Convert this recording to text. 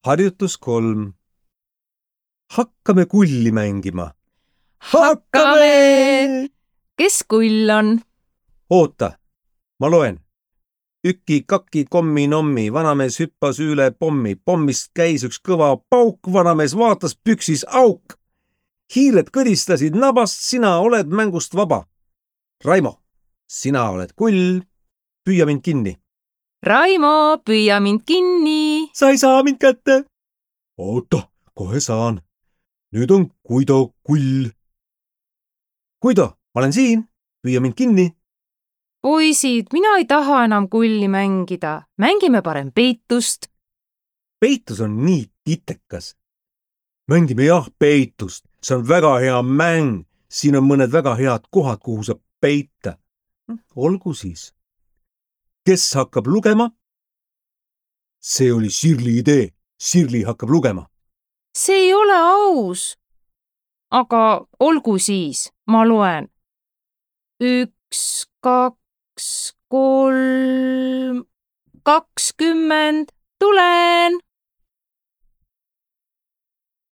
Harjutus 3. Hakkame kulli mängima. Hakkame! Kes kull on? Oota, ma loen. Üki, kaki, kommi, nommi, vanamees hüppas üle pommi. Pommist käis üks kõva pauk, vanamees vaatas püksis auk. Hiired kõdistasid nabast, sina oled mängust vaba. Raimo, sina oled kull, püüa mind kinni. Raimo, püüa mind kinni. Sa ei saa mind kätte. Oota, kohe saan. Nüüd on Guido kull. Guido, ma olen siin, püüa mind kinni. Poisid, mina ei taha enam kulli mängida. Mängime parem peitust. Peitus on nii titekas. Mängime jah peitust. See on väga hea mäng. Siin on mõned väga head kohad, kuhu saab peita. Olgu siis. Kes hakkab lugema? See oli Sirli idee. Sirli hakkab lugema. See ei ole aus. Aga olgu siis, ma loen. 1, 2, 3, 20. Tulen!